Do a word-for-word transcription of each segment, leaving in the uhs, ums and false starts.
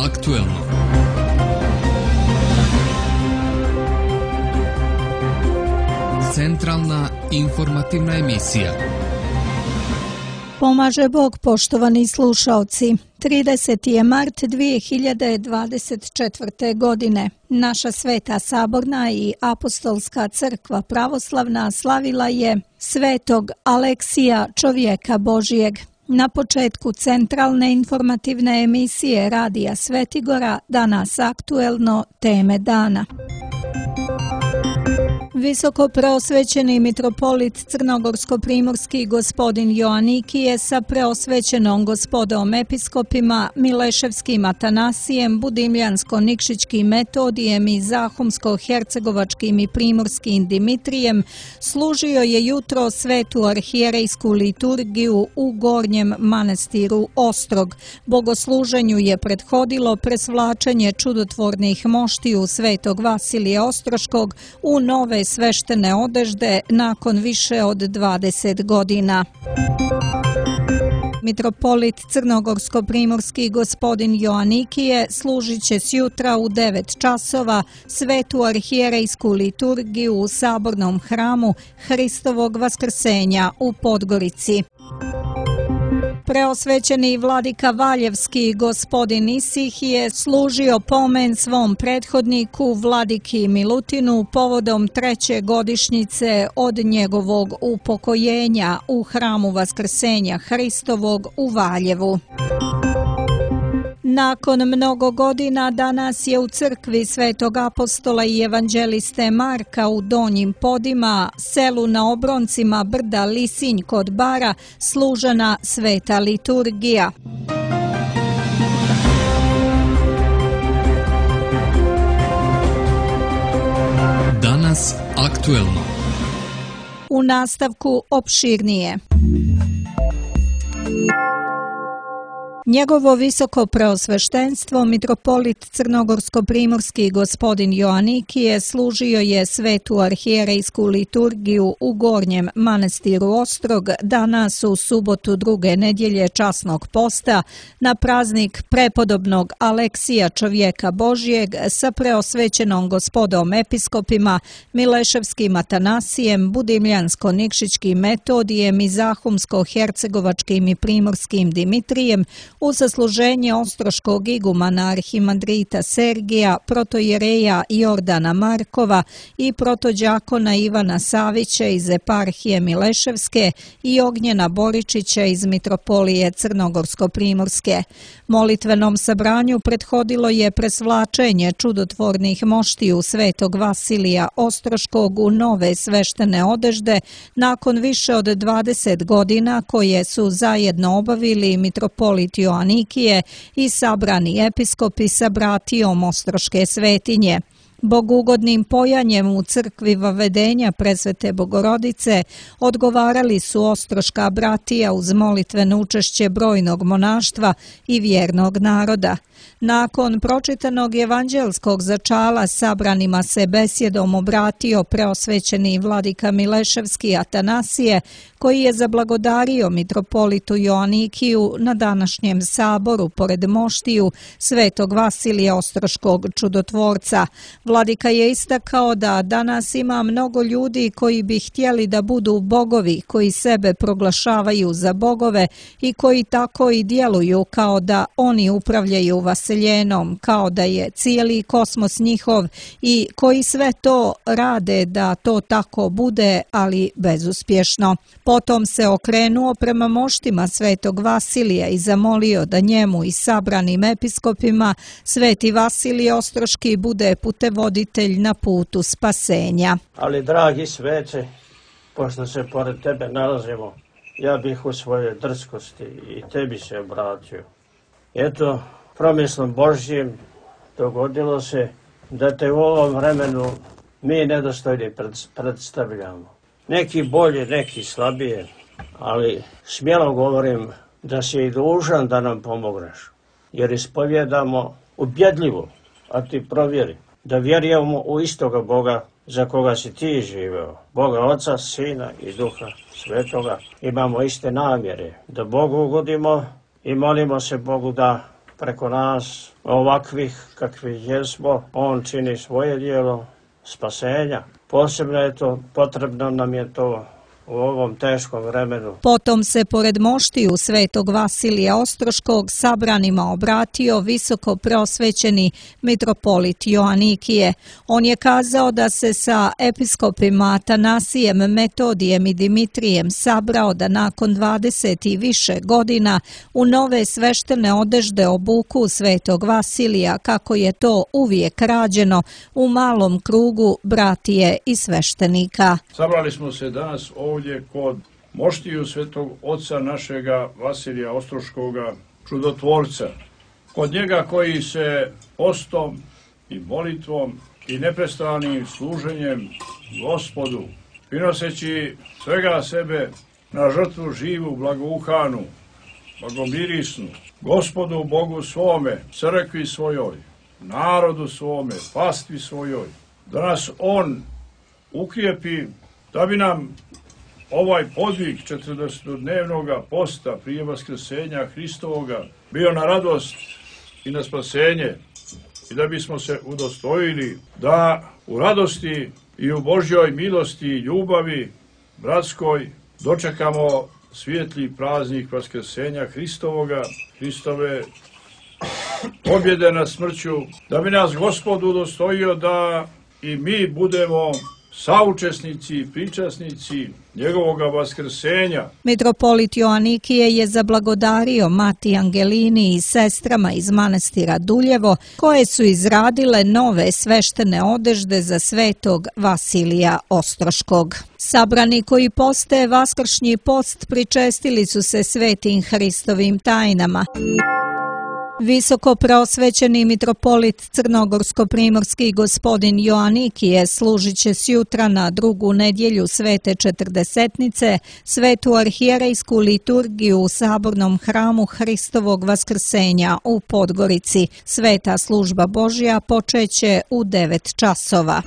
aktuelno. Centralna informativna emisija. Pomaže Bog, poštovani slušaoci. trideseti je mart dvije hiljade dvadeset četvrte. godine. Naša Sveta Saborna i Apostolska crkva pravoslavna slavila je svetog Aleksija, čovjeka Božijeg. Na početku centralne informativne emisije Radija Svetigora danas aktuelno teme dana. Visoko preosvećeni mitropolit crnogorsko-primorski gospodin Joanikije sa preosvećenom gospodom episkopima Mileševskim Atanasijem, Budimljansko-Nikšićkim Metodijem i Zahumsko-hercegovačkim i primorskim Dimitrijem služio je jutro svetu arhijerejsku liturgiju u Gornjem manastiru Ostrog. Bogosluženju je prethodilo presvlačenje čudotvornih moštiju svetog Vasilija Ostroškog u nove sveštene odežde nakon više od dvadeset godina. Mitropolit crnogorsko-primorski gospodin Joanikije služit će sjutra u devet časova svetu arhijerejsku liturgiju u sabornom hramu Hristovog vaskrsenja u Podgorici. Preosvećeni vladika Valjevski gospodin Isih je služio pomen svom prethodniku vladiki Milutinu povodom treće godišnjice od njegovog upokojenja u hramu Vaskrsenja Hristovog u Valjevu. Nakon mnogo godina danas je u crkvi Svetog apostola i evanđeliste Marka u Donjim Podima, selu na obroncima brda Lisinj kod Bara, služena sveta liturgija. Danas aktuelno. U nastavku opširnije. Njegovo visoko preosveštenstvo, mitropolit crnogorsko-primorski gospodin Joanikije, služio je svetu arhijerejsku liturgiju u Gornjem manastiru Ostrog danas u subotu druge nedjelje časnog posta na praznik prepodobnog Aleksija, čovjeka Božijeg, sa preosvećenom gospodom episkopima Mileševskim Atanasijem, Budimljansko-Nikšićkim Metodijem i Zahumsko-hercegovačkim i primorskim Dimitrijem, u sasluženje ostroškog igumana arhimandrita Sergija, protojereja Jordana Markova i protođakona Ivana Savića iz eparhije Mileševske i Ognjena Boričića iz mitropolije Crnogorsko-primorske. Molitvenom sabranju prethodilo je presvlačenje čudotvornih moštiju svetog Vasilija Ostroškog u nove sveštene odežde nakon više od dvadeset godina koje su zajedno obavili mitropolit Joanikije i sabrani episkopi sa bratijom Ostroške svetinje. Bogugodnim pojanjem u crkvi Vavedenja Presvete Bogorodice odgovarali su ostroška bratija uz molitveno učešće brojnog monaštva i vjernog naroda. Nakon pročitanog evanđelskog začala sabranima se besjedom obratio preosvećeni vladika Mileševski Atanasije, koji je zablagodario mitropolitu Joanikiju na današnjem saboru pored moštiju svetog Vasilija Ostroškog čudotvorca. Vladika je istakao da danas ima mnogo ljudi koji bi htjeli da budu bogovi, koji sebe proglašavaju za bogove i koji tako i djeluju kao da oni upravljaju vaseljenom, kao da je cijeli kosmos njihov i koji sve to rade da to tako bude, ali bezuspješno. Potom se okrenuo prema moštima svetog Vasilija i zamolio da njemu i sabranim episkopima sveti Vasilij Ostroški bude putevoditelj na putu spasenja. Ali dragi svece, pošto se pored tebe nalazimo, ja bih u svojoj drskosti i tebi se obratio. Eto, promislom Božjim dogodilo se da te u ovom vremenu mi nedostojni predstavljamo. Neki bolje, neki slabije, ali smjelo govorim da si i dužan da nam pomogneš, jer ispovjedamo ubjedljivo, a ti provjeri, da vjerujemo u istoga Boga za koga si ti živeo, Boga Oca, Sina i Duha Svetoga. Imamo iste namjere, da Bogu ugodimo i molimo se Bogu da preko nas, ovakvih kakvi jesmo, on čini svoje dijelo spasenja. Posebno je to, potrebno nam je to u ovom teškom vremenu. Potom se pored moštiju svetog Vasilija Ostroškog sabranima obratio visoko prosvećeni mitropolit Joanikije. On je kazao da se sa episkopima Atanasijem, Metodijem i Dimitrijem sabrao da nakon dvadeset i više godina u nove sveštene odežde obuku svetog Vasilija, kako je to uvijek rađeno u malom krugu bratije i sveštenika. Sabrali smo se danas ovdje ovdje kod moštiju svetog oca našega Vasilija Ostroškoga, čudotvorca. Kod njega koji se postom i molitvom i neprestanim služenjem Gospodu, prinoseći svega sebe na žrtvu živu, blagouhanu, blagomirisnu, Gospodu Bogu svome, crkvi svojoj, narodu svome, pastvi svojoj, da nas on ukrijepi, da bi nam ovaj podvig četrdesetodnevnog posta prije vaskrsenja Hristovoga bio na radost i na spasenje i da bismo se udostojili da u radosti i u Božjoj milosti i ljubavi bratskoj dočekamo svijetli praznik vaskrsenja Hristovoga, Hristove pobjede nad smrću, da bi nas Gospod udostojio da i mi budemo saučesnici i pričasnici njegovoga vaskrsenja. Mitropolit Joanikije je zablagodario Mati Angelini i sestrama iz manastira Duljevo, koje su izradile nove sveštene odežde za svetog Vasilija Ostroškog. Sabrani koji poste vaskršnji post pričestili su se svetim Hristovim tajnama. Visoko prosvećeni mitropolit crnogorsko-primorski gospodin Joanikije služit će sjutra na drugu nedjelju Svete Četrdesetnice svetu arhijerejsku liturgiju u sabornom hramu Hristovog vaskrsenja u Podgorici. Sveta služba Božja počeće u devet časova.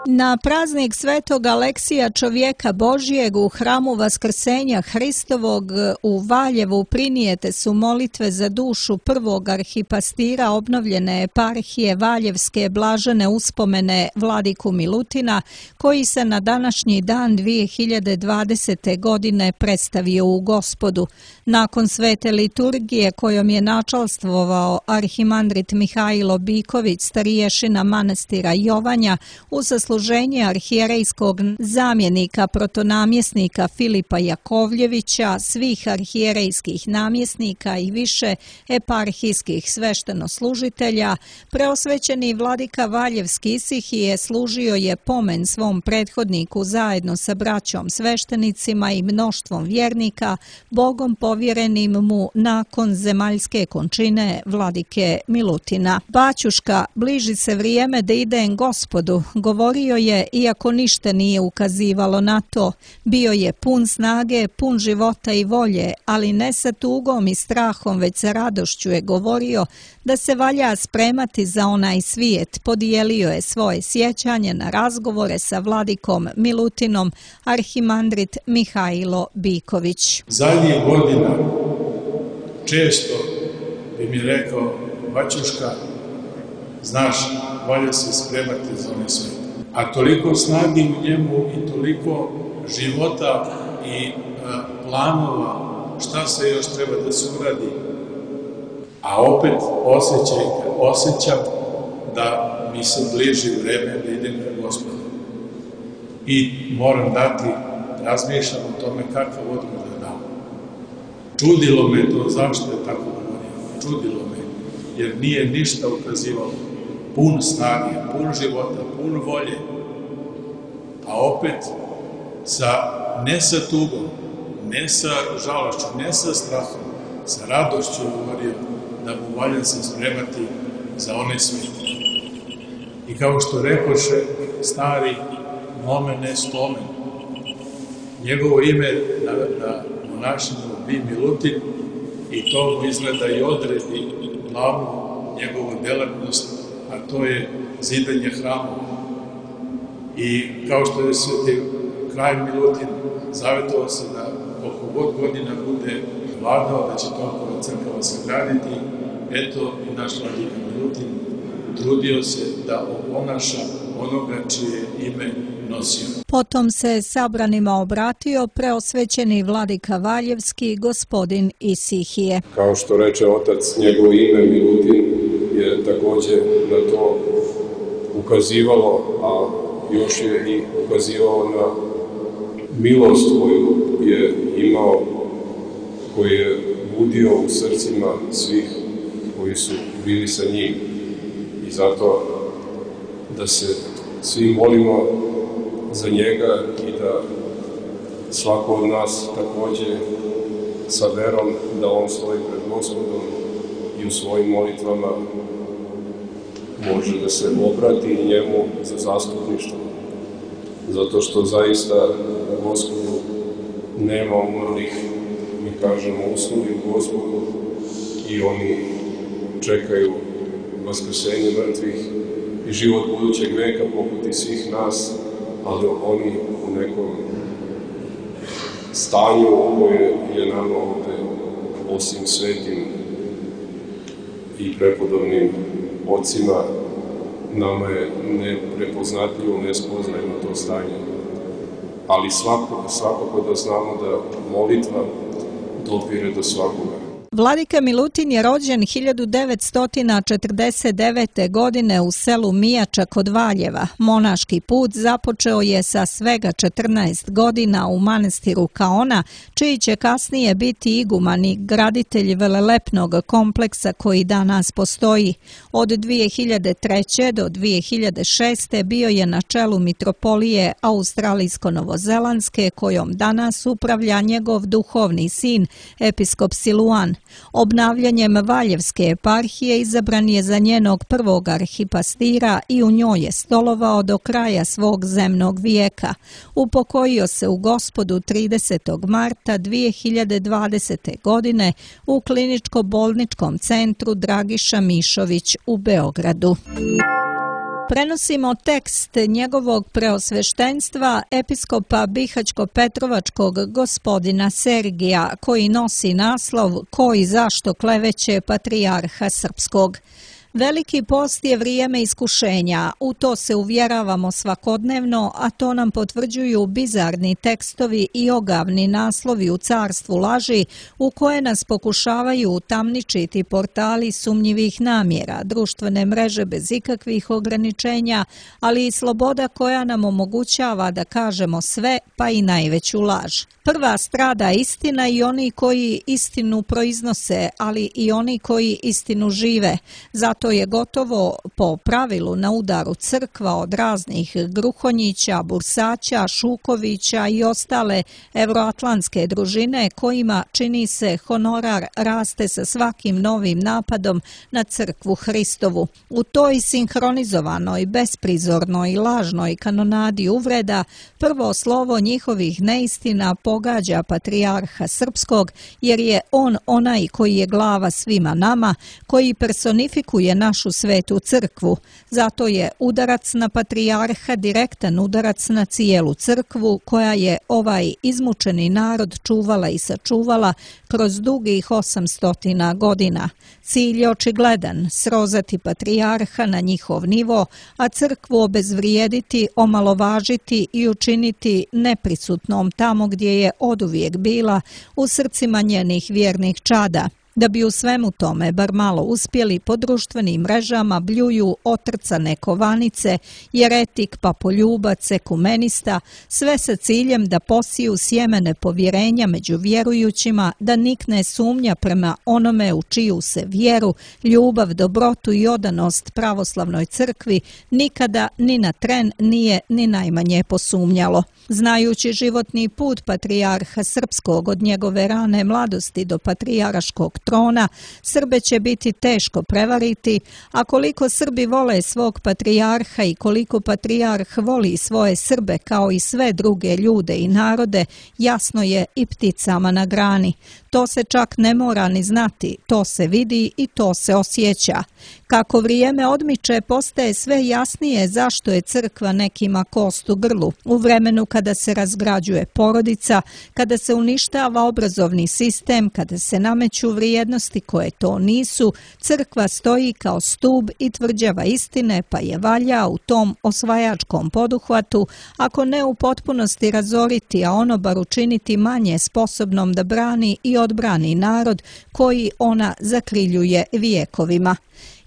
Na praznik svetog Aleksija čovjeka Božjeg u hramu Vaskrsenja Hristovog u Valjevu prinijete su molitve za dušu prvog arhipastira obnovljene eparhije Valjevske blažene uspomene Vladiku Milutina, koji se na današnji dan dvije hiljade dvadesete. godine predstavio u Gospodu. Nakon svete liturgije kojom je načalstvovao arhimandrit Mihajlo Biković, stariješina manastira Jovanja, u sasluženje arhijerejskog zamjenika protonamjesnika Filipa Jakovljevića, svih arhijerejskih namjesnika i više eparhijskih sveštenoslužitelja, preosvećeni vladika Valjevski Isihije služio je pomen svom prethodniku zajedno sa braćom sveštenicima i mnoštvom vjernika, Bogom povjerenim mu nakon zemaljske končine vladike Milutina. Baćuška, bliži se vrijeme da idem Gospodu, govorio je, iako ništa nije ukazivalo na to. Bio je pun snage, pun života i volje, ali ne sa tugom i strahom, već sa radošću je govorio da se valja spremati za onaj svijet. Podijelio je svoje sjećanje na razgovore sa vladikom Milutinom, arhimandrit Mihajlo Biković. Zadnjih godina često bi mi rekao, baćuška, znaš, valja se spremati za onaj svijet. A toliko snagi u njemu i toliko života i a, planova šta se još treba da se uradi. A opet osjećaj, osjećam da mi se bliži vreme da idem na Gospoda. I moram dati, razmišljam o tome kakav odgovor da dam. Čudilo me to, zašto je tako govorio. Čudilo me, jer nije ništa ukazivalo. Pun snage, pun života, pun volje, a opet sa, ne sa tugom, ne sa žalošću, ne sa strahom, sa radošću govorio da mu valja se spremati za onaj svijet. I kao što rekoše stari nomen est omen, njegovo ime na, na monašinu bi Milutin i to mu izgleda i odredi glavnu njegovu delatnost, a to je zidanje hrama. I kao što je sveti kralj Milutin zavetovao se da koliko god godina bude vladao, da će toliko crkava sagraditi. Eto i naš vladika Milutin trudio se da oponaša onoga čije ime nosio. Potom se sabranima obratio preosvećeni vladika Valjevski, gospodin Isihije. Kao što reče otac, njegovo ime Milutin je također na to ukazivalo, a još je i ukazivao na milost koju je imao, koju je budio u srcima svih koji su bili sa njim. I zato da se svi molimo za njega i da svako od nas također sa verom da on stoji pred Gospodom i u svojim molitvama može da se obrati njemu za zastupništvo. Zato što zaista na Gospodu nema umrlih, mi kažemo usnuli u Gospodu i oni čekaju vaskrsenje mrtvih i život budućeg veka poput i svih nas, ali oni u nekom stanju koje je nama ovde, osim svetim i prepodobnim ocima, nama je neprepoznatljivo, nespoznajno to stanje. Ali svakako, svakako da znamo da molitva dopire do svakoga. Vladika Milutin je rođen hiljadu devetsto četrdeset devete. godine u selu Mijača kod Valjeva. Monaški put započeo je sa svega četrnaest godina u manastiru Kaona, čiji će kasnije biti iguman i graditelj velelepnog kompleksa koji danas postoji. Od dvije hiljade treće. do dvije hiljade šeste. bio je na čelu mitropolije Australijsko-Novozelandske, kojom danas upravlja njegov duhovni sin, episkop Siluan. Obnavljanjem Valjevske eparhije izabran je za njenog prvog arhipastira i u njoj je stolovao do kraja svog zemnog vijeka. Upokojio se u Gospodu tridesetog marta dvije hiljade dvadesete. godine u kliničko-bolničkom centru Dragiša Mišović u Beogradu. Prenosimo tekst njegovog preosveštenstva episkopa Bihaćko-Petrovačkog gospodina Sergija, koji nosi naslov Ko i zašto kleveće patrijarha srpskog. Veliki post je vrijeme iskušenja, u to se uvjeravamo svakodnevno, a to nam potvrđuju bizarni tekstovi i ogavni naslovi u carstvu laži u koje nas pokušavaju utamničiti portali sumnjivih namjera, društvene mreže bez ikakvih ograničenja, ali i sloboda koja nam omogućava da kažemo sve, pa i najveću laž. Prva strada istina i oni koji istinu proiznose, ali i oni koji istinu žive. Zato je gotovo po pravilu na udaru crkva od raznih Gruhonjića, Bursaća, Šukovića i ostale evroatlantske družine kojima, čini se, honorar raste sa svakim novim napadom na crkvu Hristovu. U toj sinhronizovanoj, besprizornoj i lažnoj kanonadi uvreda prvo slovo njihovih neistina pogađa patrijarha srpskog, jer je on onaj koji je glava svima nama, koji personifikuje našu svetu crkvu. Zato je udarac na patrijarha direktan udarac na cijelu crkvu koja je ovaj izmučeni narod čuvala i sačuvala kroz dugih osamstotina godina. Cilj je očigledan, srozati patrijarha na njihov nivo, a crkvu obezvrijediti, omalovažiti i učiniti neprisutnom tamo gdje je oduvijek bila, u srcima njenih vjernih čada. Da bi u svemu tome bar malo uspjeli, po društvenim mrežama bljuju otrcane kovanice, jeretik, papoljubac, ekumenista, sve sa ciljem da posiju sjemene povjerenja među vjerujućima, da nikne sumnja prema onome u čiju se vjeru, ljubav, dobrotu i odanost pravoslavnoj crkvi nikada ni na tren nije ni najmanje posumnjalo. Znajući životni put patrijarha srpskog od njegove rane mladosti do patrijarškog trona, Srbe će biti teško prevariti, a koliko Srbi vole svog patrijarha i koliko patrijarh voli svoje Srbe kao i sve druge ljude i narode, jasno je i pticama na grani. To se čak ne mora ni znati, to se vidi i to se osjeća. Kako vrijeme odmiče, postaje sve jasnije zašto je crkva nekima kost u grlu. U vremenu kada se razgrađuje porodica, kada se uništava obrazovni sistem, kada se nameću vrijednosti koje to nisu, crkva stoji kao stub i tvrđava istine, pa je valja u tom osvajačkom poduhvatu, ako ne u potpunosti razoriti, a ono bar učiniti manje sposobnom da brani i odbrani narod koji ona zakriljuje vijekovima.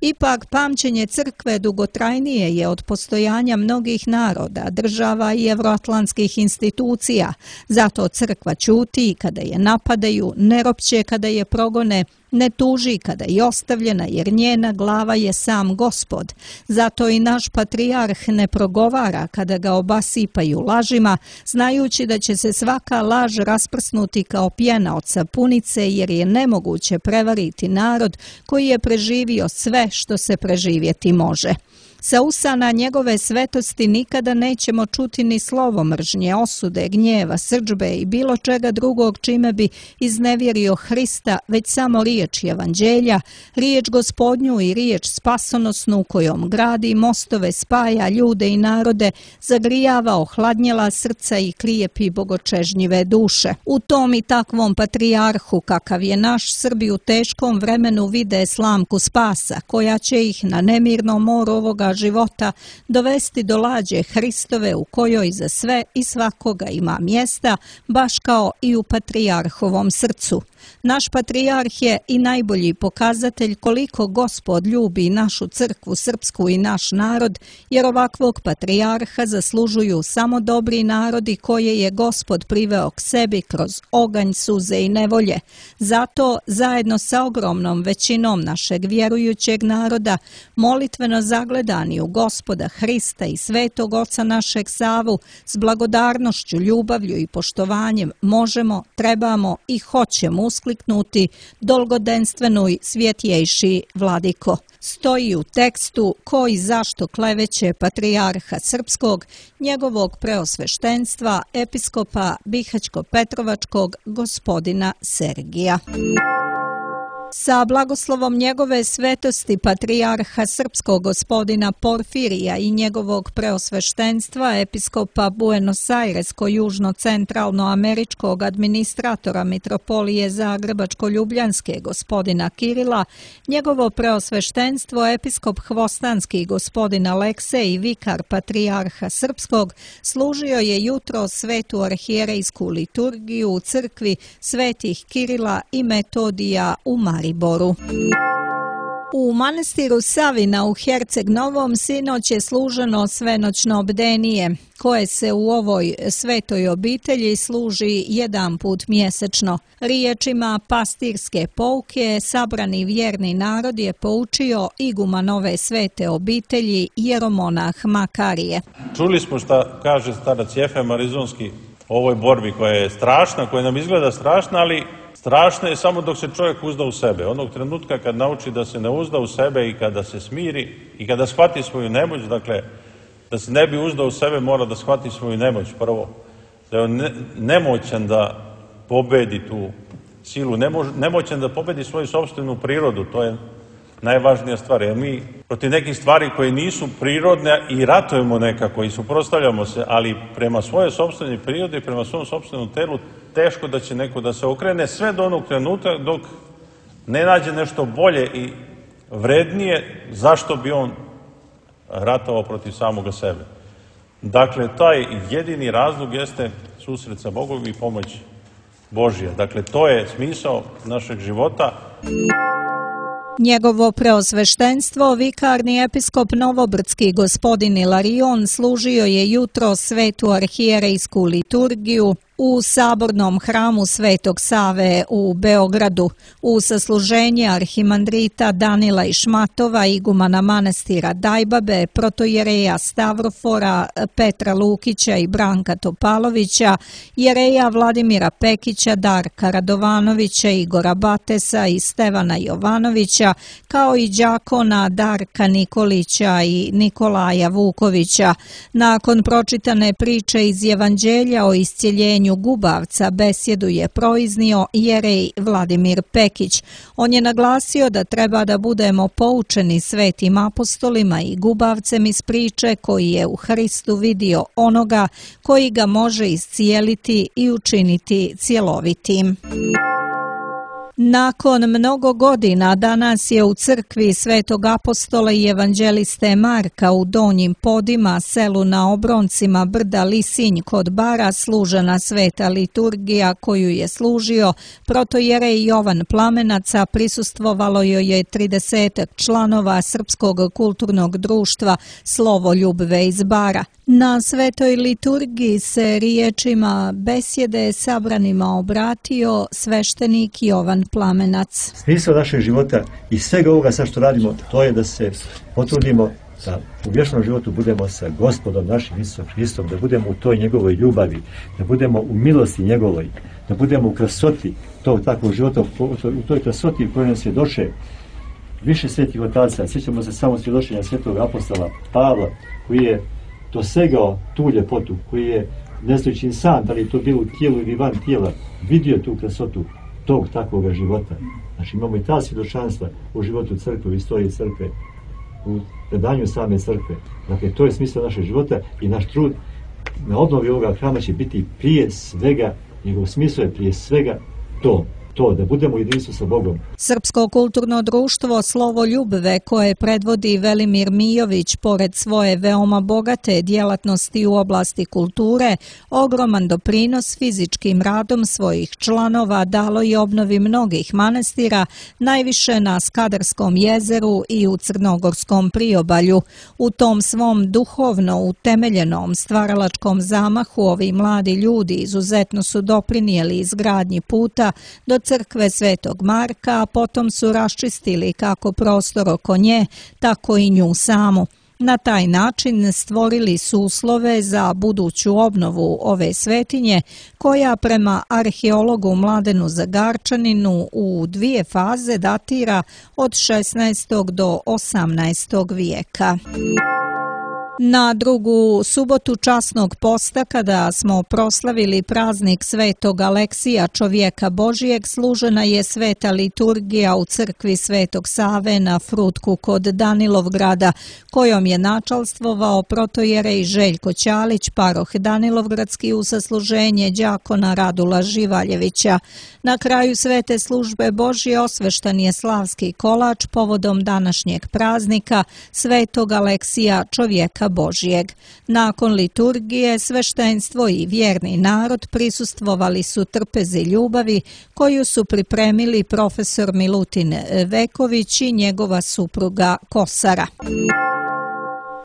Ipak, pamćenje crkve dugotrajnije je od postojanja mnogih naroda, država i evroatlantskih institucija. Zato crkva ćuti kada je napadaju, ne ropće kada je progone, ne tuži kada je ostavljena, jer njena glava je sam Gospod. Zato i naš patrijarh ne progovara kada ga obasipaju lažima, znajući da će se svaka laž rasprsnuti kao pjena od sapunice, jer je nemoguće prevariti narod koji je preživio sve što se preživjeti može. Sa usana njegove svetosti nikada nećemo čuti ni slovo mržnje, osude, gnjeva, srdžbe i bilo čega drugog čime bi iznevjerio Hrista, već samo riječ evanđelja, riječ Gospodnju i riječ spasonosnu kojom gradi mostove, spaja ljude i narode, zagrijava ohladnjela srca i krijepi bogočežnjive duše. U tom i takvom patrijarhu kakav je naš, Srbi u teškom vremenu vide slamku spasa, koja će ih na nemirnom moru ovoga života dovesti do lađe Hristove u kojoj za sve i svakoga ima mjesta, baš kao i u patrijarhovom srcu. Naš patrijarh je i najbolji pokazatelj koliko Gospod ljubi našu crkvu srpsku i naš narod, jer ovakvog patrijarha zaslužuju samo dobri narodi koje je Gospod priveo k sebi kroz oganj, suze i nevolje. Zato, zajedno sa ogromnom većinom našeg vjerujućeg naroda, molitveno zagledani u Gospoda Hrista i Svetog Oca našeg Savu, s blagodarnošću, ljubavlju i poštovanjem možemo, trebamo i hoćemo uskliknuti dolgodenstveno i svjetjejši Vladiko. Stoji u tekstu koji zašto kleveće patrijarha srpskog, njegovog preosveštenstva, episkopa Bihaćko-Petrovačkog gospodina Sergija. Sa blagoslovom njegove svetosti patrijarha srpskog gospodina Porfirija i njegovog preosveštenstva episkopa Buenos Airesko-južno-centralnoameričkog administratora mitropolije Zagrebačko-ljubljanske gospodina Kirila, njegovo preosveštenstvo episkop Hvostanski gospodin Aleksej i vikar patrijarha srpskog služio je jutro svetu arhijerejsku liturgiju u crkvi svetih Kirila i Metodija u Mariboru. U manastiru Savina u Herceg Novom sinoć je služeno svenoćno bdenije, koje se u ovoj svetoj obitelji služi jedan put mjesečno. Riječima pastirske pouke sabrani vjerni narod je poučio iguman ove svete obitelji jeromonah Makarije. Čuli smo šta kaže starac Jefem Arizonski o ovoj borbi koja je strašna, koja nam izgleda strašna, ali strašno je samo dok se čovjek uzda u sebe. Onog trenutka kad nauči da se ne uzda u sebe i kada se smiri i kada shvati svoju nemoć, dakle, da se ne bi uzdao u sebe, mora da shvati svoju nemoć prvo. Da je on nemoćan da pobedi tu silu, nemoćan da pobedi svoju sopstvenu prirodu, to je najvažnija stvar. Jer mi protiv nekih stvari koje nisu prirodne i ratujemo nekako i suprotstavljamo se, ali prema svojoj sopstvenoj prirodi i prema svom sopstvenom telu teško da će neko da se okrene sve do onog trenutka dok ne nađe nešto bolje i vrednije zašto bi on ratovao protiv samoga sebe. Dakle, taj jedini razlog jeste susret sa Bogom i pomoć Božja. Dakle, to je smisao našeg života. Njegovo preosveštenstvo, vikarni episkop Novobrdski gospodin Ilarion služio je jutro svetu arhijerejsku liturgiju u sabornom hramu Svetog Save u Beogradu. U sasluženje arhimandrita Danila i Šmatova, igumana manastira Dajbabe, protojereja Stavrofora, Petra Lukića i Branka Topalovića, jereja Vladimira Pekića, Darka Radovanovića, Igora Batesa i Stevana Jovanovića, kao i đakona Darka Nikolića i Nikolaja Vukovića. Nakon pročitane priče iz Evanđelja o iscjeljenju značenju gubavca besjedu je proiznio jerej Vladimir Pekić. On je naglasio da treba da budemo poučeni svetim apostolima i gubavcem iz priče koji je u Hristu vidio onoga koji ga može iscijeliti i učiniti cjelovitim. Nakon mnogo godina danas je u crkvi Svetog apostola i evanđeliste Marka u Donjim Podima, selu na obroncima brda Lisinj kod Bara, služena sveta liturgija koju je služio protojerej Jovan Plamenac, prisustvovalo joj je tridesetak članova Srpskog kulturnog društva Slovoljubve iz Bara. Na svetoj liturgiji se riječima besjede sabranima obratio sveštenik Jovan Plamenac. Smisao našeg života i svega ovoga sad što radimo, to je da se potrudimo da u vječnom životu budemo sa Gospodom našim Isusom Hristom, da budemo u toj njegovoj ljubavi, da budemo u milosti njegovoj, da budemo u krasoti tog takvog života, u toj krasoti u kojoj nam svjedoče više svetih otaca. Sjećamo se samo svjedočenja svetog apostola Pavla, koji je dosegao tu ljepotu, koji je, ne znajući sam da li je to bilo u tijelu ili van tijela, vidio tu krasotu tog takvog života. Znači imamo i ta svjedočanstva u životu crkve, u istoriji crkve, u predanju same crkve. Dakle, to je smisao našeg života i naš trud na obnovi ovoga hrama će biti prije svega, njegov smisao je prije svega to. To, da budemo u jedinstvu sa Bogom. Srpsko kulturno društvo Slovoljubve, koje predvodi Velimir Mijović, pored svoje veoma bogate djelatnosti u oblasti kulture, ogroman doprinos fizičkim radom svojih članova dalo i obnovi mnogih manastira, najviše na Skadarskom jezeru i u Crnogorskom priobalju. U tom svom duhovno utemeljenom stvaralačkom zamahu ovi mladi ljudi izuzetno su doprinijeli izgradnji puta do crkve Svetog Marka, a potom su raščistili kako prostor oko nje, tako i nju samu. Na taj način stvorili su uslove za buduću obnovu ove svetinje, koja prema arheologu Mladenu Zagarčaninu u dvije faze datira od šesnaestog do osamnaestog vijeka. Na drugu subotu časnog posta, kada smo proslavili praznik Svetog Aleksija, čovjeka Božijeg, služena je sveta liturgija u crkvi Svetog Save na Frutku kod Danilovgrada, kojom je načalstvovao protojerej Željko Ćalić, paroh Danilovgradski, u sasluženje đakona Radula Živaljevića. Na kraju svete službe Božje osveštan je slavski kolač povodom današnjeg praznika Svetog Aleksija, čovjeka Božijeg. Nakon liturgije, sveštenstvo i vjerni narod prisustvovali su trpezi ljubavi koju su pripremili profesor Milutin Veković i njegova supruga Kosara.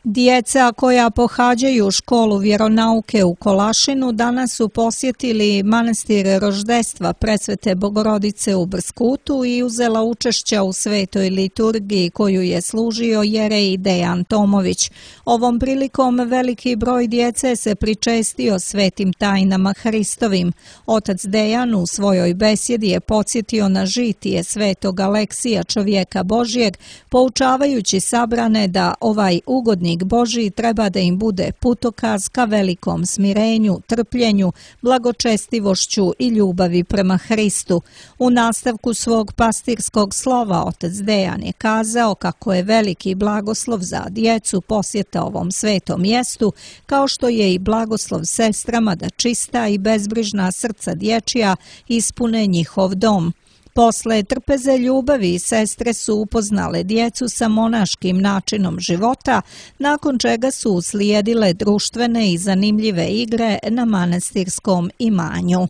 Djeca koja pohađaju školu vjeronauke u Kolašinu danas su posjetili manastir Roždestva Presvete Bogorodice u Brskutu i uzela učešća u svetoj liturgiji koju je služio jerej Dejan Tomović. Ovom prilikom veliki broj djece se pričestio svetim tajnama Hristovim. Otac Dejan u svojoj besjedi je podsjetio na žitije Svetog Aleksija, čovjeka Božijeg, poučavajući sabrane da ovaj ugodnik Božiji treba da im bude putokaz ka velikom smirenju, trpljenju, blagočestivošću i ljubavi prema Hristu. U nastavku svog pastirskog slova otac Dejan je kazao kako je veliki blagoslov za djecu posjeta ovom svetom mjestu, kao što je i blagoslov sestrama da čista i bezbrižna srca dječja ispune njihov dom. Posle trpeze ljubavi sestre su upoznale djecu sa monaškim načinom života, nakon čega su uslijedile društvene i zanimljive igre na manastirskom imanju.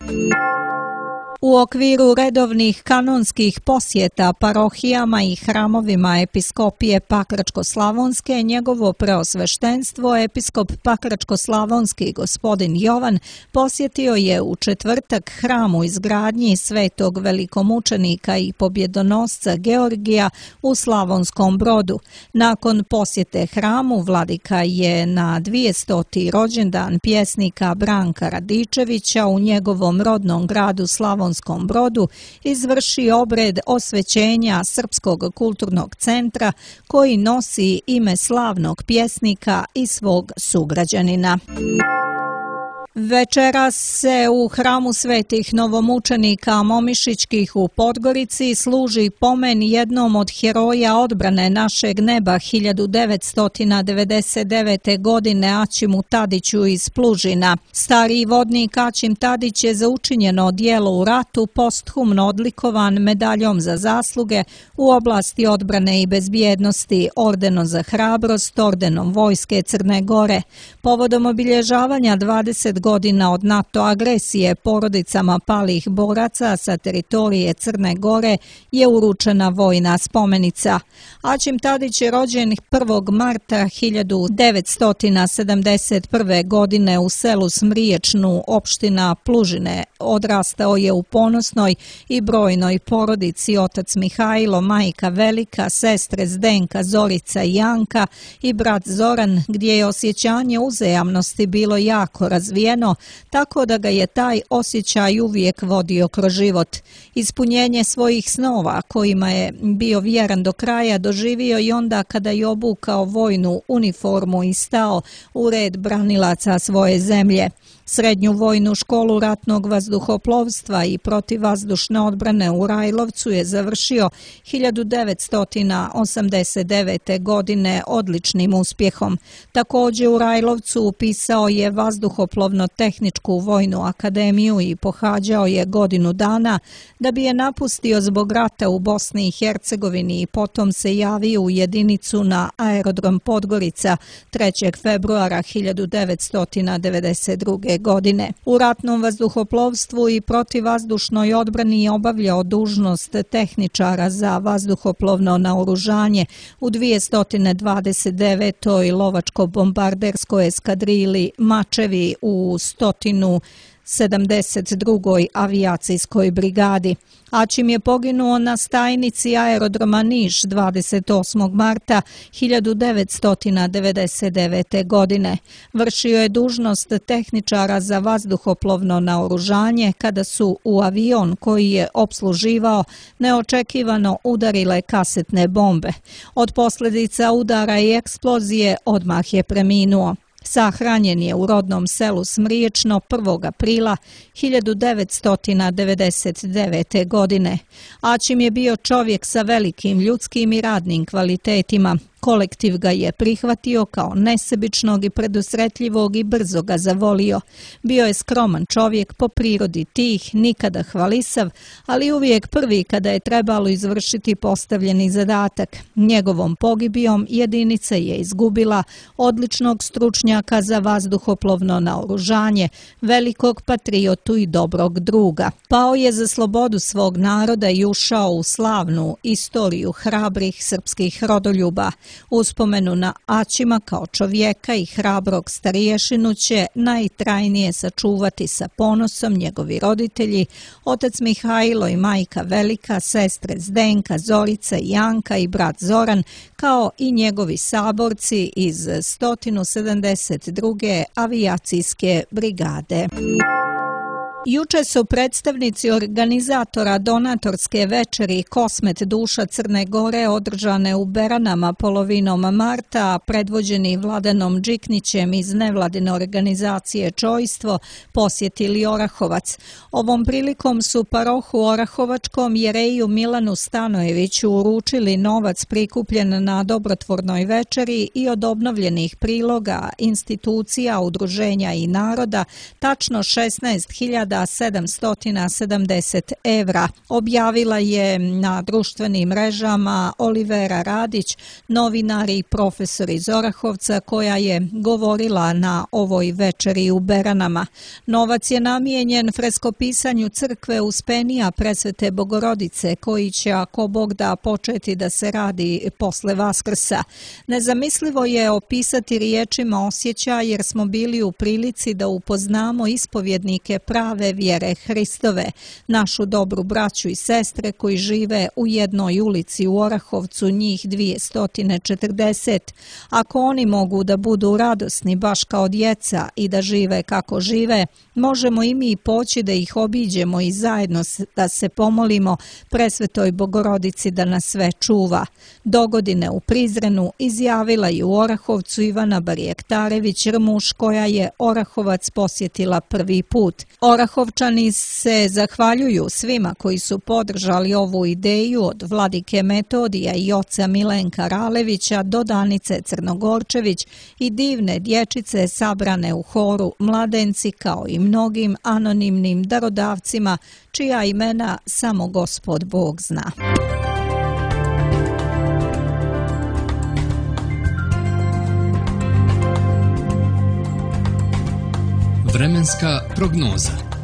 U okviru redovnih kanonskih posjeta parohijama i hramovima episkopije Pakračko-Slavonske, njegovo preosveštenstvo, episkop Pakračko-Slavonski gospodin Jovan, posjetio je u četvrtak hram u izgradnji svetog velikomučenika i pobjedonosca Georgija u Slavonskom Brodu. Nakon posjete hramu, vladika je na dvijestoti rođendan pjesnika Branka Radičevića u njegovom rodnom gradu Slavonskom Brodu izvrši obred osvećenja Srpskog kulturnog centra koji nosi ime slavnog pjesnika i svog sugrađanina. Večeras se u hramu svetih novomučenika Momišićkih u Podgorici služi pomen jednom od heroja odbrane našeg neba hiljadu devetsto devedeset devete. godine Aćimu Tadiću iz Plužina. Stariji vodnik Aćim Tadić je za učinjeno djelo u ratu posthumno odlikovan medaljom za zasluge u oblasti odbrane i bezbjednosti, ordenom za hrabrost, ordenom Vojske Crne Gore. Povodom obilježavanja dvadeset godina od NATO agresije porodicama palih boraca sa teritorije Crne Gore je uručena vojna spomenica. Aćim Tadić je rođen prvog marta hiljadu devetsto sedamdeset prve. godine u selu Smriječnu, opština Plužine. Odrastao je u ponosnoj i brojnoj porodici: otac Mihajlo, majka Velika, sestre Zdenka, Zorica i Janka i brat Zoran, gdje je osjećanje uzajamnosti bilo jako razvijeno, tako da ga je taj osjećaj uvijek vodio kroz život. Ispunjenje svojih snova, kojima je bio vjeran do kraja, doživio i onda kada je obukao vojnu uniformu i stao u red branilaca svoje zemlje. Srednju vojnu školu ratnog vazduhoplovstva i protivvazdušne odbrane u Rajlovcu je završio hiljadu devetsto osamdeset devete. godine odličnim uspjehom. Također u Rajlovcu upisao je vazduhoplovno-tehničku vojnu akademiju i pohađao je godinu dana, da bi je napustio zbog rata u Bosni i Hercegovini i potom se javio u jedinicu na aerodrom Podgorica trećeg februara hiljadu devetsto devedeset druge. godine. U ratnom vazduhoplovstvu i protivvazdušnoj odbrani je obavljao dužnost tehničara za vazduhoplovno naoružanje u dvjesto dvadeset devetoj lovačko-bombarderskoj eskadrili Mačevi u sto sedamdeset drugoj avijacijskoj brigadi. Aćim je poginuo na stajnici aerodroma Niš dvadeset osmog marta hiljadu devetsto devedeset devete. godine. Vršio je dužnost tehničara za vazduhoplovno naoružanje kada su u avion koji je opsluživao neočekivano udarile kasetne bombe. Od posljedica udara i eksplozije odmah je preminuo. Sahranjen je u rodnom selu Smriječno prvog aprila hiljadu devetsto devedeset devete. godine. Aćim je bio čovjek sa velikim ljudskim i radnim kvalitetima. Kolektiv ga je prihvatio kao nesebičnog i predusretljivog i brzo ga zavolio. Bio je skroman čovjek, po prirodi tih, nikada hvalisav, ali uvijek prvi kada je trebalo izvršiti postavljeni zadatak. Njegovom pogibijom jedinica je izgubila odličnog stručnjaka za vazduhoplovno naoružanje, velikog patriotu i dobrog druga. Pao je za slobodu svog naroda i ušao u slavnu istoriju hrabrih srpskih rodoljuba. Uspomenu na Aćima kao čovjeka i hrabrog stariješinu će najtrajnije sačuvati sa ponosom njegovi roditelji, otac Mihajlo i majka Velika, sestre Zdenka, Zorica i Janka i brat Zoran, kao i njegovi saborci iz sto sedamdeset druge avijacijske brigade. Juče su predstavnici organizatora donatorske večeri Kosmet duša Crne Gore održane u Beranama polovinom marta, predvođeni Vladanom Điknićem iz nevladine organizacije Čojstvo, posjetili Orahovac. Ovom prilikom su parohu Orahovačkom jereju Milanu Stanojeviću uručili novac prikupljen na dobrotvornoj večeri i od obnovljenih priloga, institucija, udruženja i naroda, tačno šesnaest hiljada sedamsto sedamdeset evra. Objavila je na društvenim mrežama Olivera Radić, novinar i profesor iz Orahovca, koja je govorila na ovoj večeri u Beranama. Novac je namijenjen freskopisanju crkve Uspenija Presvete Bogorodice, koji će, ako Bog da, početi da se radi posle Vaskrsa. Nezamislivo je opisati riječima osjećaj, jer smo bili u prilici da upoznamo ispovjednike prave prave vjere Hristove, našu dobru braću i sestre koji žive u jednoj ulici u Orahovcu, njih dvjesto četrdeset. Ako oni mogu da budu radosni baš kao djeca i da žive kako žive, možemo i mi poći da ih obiđemo i zajedno da se pomolimo presvetoj Bogorodici da nas sve čuva. Dogodine u Prizrenu izjavila je u Orahovcu Ivana Barjektarević Rmuš, koja je Orahovac posjetila prvi put. Orahovčani se zahvaljuju svima koji su podržali ovu ideju, od vladike Metodija i oca Milenka Ralevića do Danice Crnogorčević i divne dječice sabrane u horu Mladenci, kao i mnogim anonimnim darodavcima čija imena samo Gospod Bog zna. Vremenska prognoza.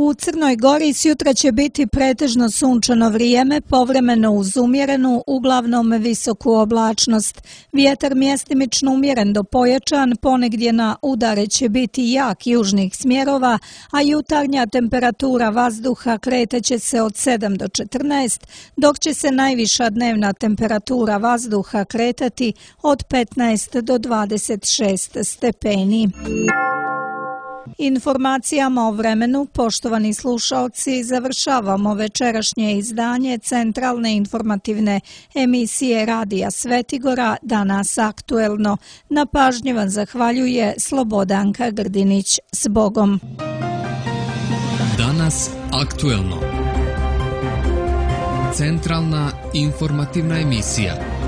U Crnoj Gori sjutra će biti pretežno sunčano vrijeme, povremeno uz umjerenu, uglavnom visoku oblačnost. Vjetar mjestimično umjeren do pojačan, ponegdje na udare će biti jak južnih smjerova, a jutarnja temperatura vazduha kretaće se od sedam do četrnaest, dok će se najviša dnevna temperatura vazduha kretati od petnaest do dvadeset šest stepeni. Informacijama o vremenu, poštovani slušalci, završavamo večerašnje izdanje centralne informativne emisije Radija Svetigora, Danas aktuelno. Na pažnji vam zahvaljuje Slobodanka Grdinić. S Bogom! Danas aktuelno. Centralna informativna emisija.